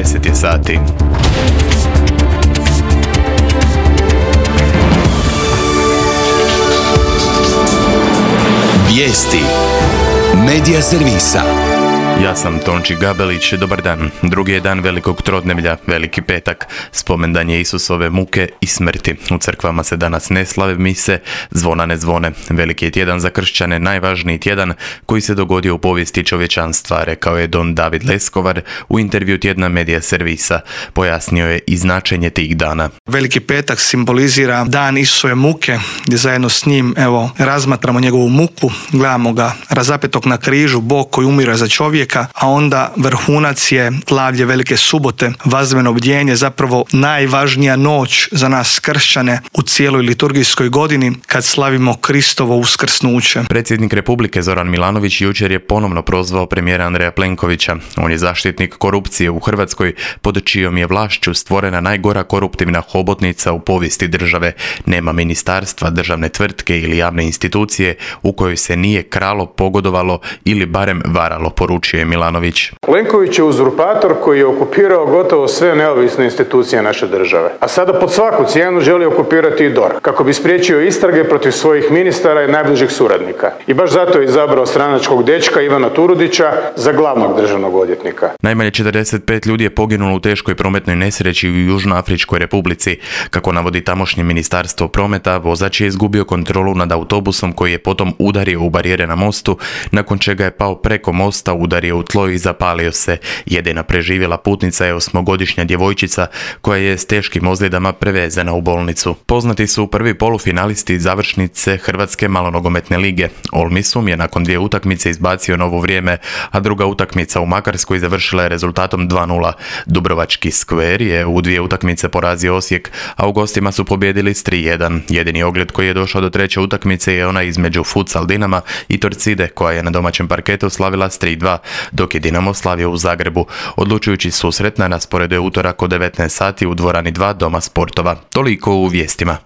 10 je sati. Vijesti Medija servisa. Ja sam Tonči Gabelić, dobar dan. Drugi je dan velikog trodnevlja, Veliki petak. Spomendan je Isusove muke i smrti. U crkvama se danas ne slave mise, zvona ne zvone. Veliki je tjedan za kršćane, najvažniji tjedan koji se dogodio u povijesti čovječanstva, rekao je don David Leskovar u intervju tjedna Medija servisa. Pojasnio je i značenje tih dana. Veliki petak simbolizira dan Isusove muke, gdje zajedno s njim razmatramo njegovu muku, gledamo ga razapetog na križu, Bog koji umire za čovjeka, a onda vrhunac je slavlje Velike subote, vazdeveno bdjenje, zapravo najvažnija noć za nas kršćane u cijeloj liturgijskoj godini kad slavimo Kristovo uskrsnuće. Predsjednik Republike Zoran Milanović jučer je ponovno prozvao premijera Andreja Plenkovića. On je zaštitnik korupcije u Hrvatskoj, pod čijom je vlašću stvorena najgora koruptivna hobotnica u povijesti države. Nema ministarstva, državne tvrtke ili javne institucije u kojoj se nije kralo, pogodovalo ili barem varalo, poručio je Milanović. Plenković je uzurpator koji je okupirao gotovo sve neovisne institucije naše države. A sada pod svaku cijenu želi okupirati i DORH, kako bi spriječio istrage protiv svojih ministara i najbližih suradnika. I baš zato je izabrao stranačkog dečka Ivana Turudića za glavnog državnog odvjetnika. Najmanje 45 ljudi je poginulo u teškoj prometnoj nesreći u Južnoafričkoj Republici. Kako navodi tamošnje ministarstvo prometa, vozač je izgubio kontrolu nad autobusom koji je potom udario u barijere na mostu, nakon čega je pao preko mosta, udario u tlo i zapalio se. Jedina preživjela putnica je 8-godišnja djevojčica koja je s teškim ozljedama prevezena u bolnicu. Poznati su prvi polufinalisti završnice Hrvatske malonogometne lige. Olmisum je nakon 2 utakmice izbacio novo vrijeme, a druga utakmica u Makarskoj završila je rezultatom 2:0. Dubrovački Skver je u 2 utakmice porazio Osijek, a u gostima su pobijedili s 3:1. Jedini ogled koji je došao do 3. utakmice je ona između Futsal Dinama i Torcide, koja je na domaćem parketu slavila s 3:2, dok je Dinamo slavio u Zagrebu. Odlučujući susret na rasporedu je utorak od 19 sati u dvorani 2 Doma sportova. Toliko u vijestima.